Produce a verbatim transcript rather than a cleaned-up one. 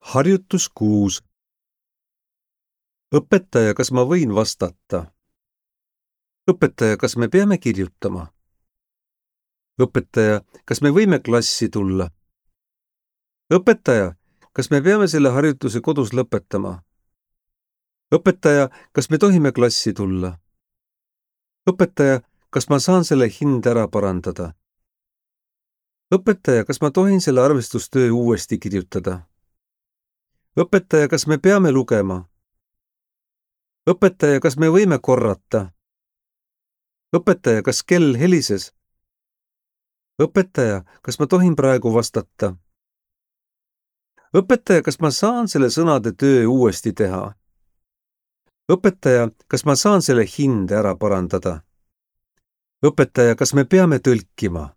Harjutus kuus. Õpetaja, kas ma võin vastata? Õpetaja, kas me peame kirjutama? Õpetaja, kas me võime klassi tulla? Õpetaja, kas me peame selle harjutuse kodus lõpetama? Õpetaja, kas me tohime klassi tulla? Õpetaja, kas ma saan selle hind ära parandada? Õpetaja, kas ma tohin selle arvestustöö uuesti kirjutada? Õpetaja, kas me peame lugema? Õpetaja, kas me võime korrata? Õpetaja, kas kell helises? Õpetaja, kas ma tohin praegu vastata? Õpetaja, kas ma saan selle sõnade töö uuesti teha? Õpetaja, kas ma saan selle hinde ära parandada? Õpetaja, kas me peame tõlkima?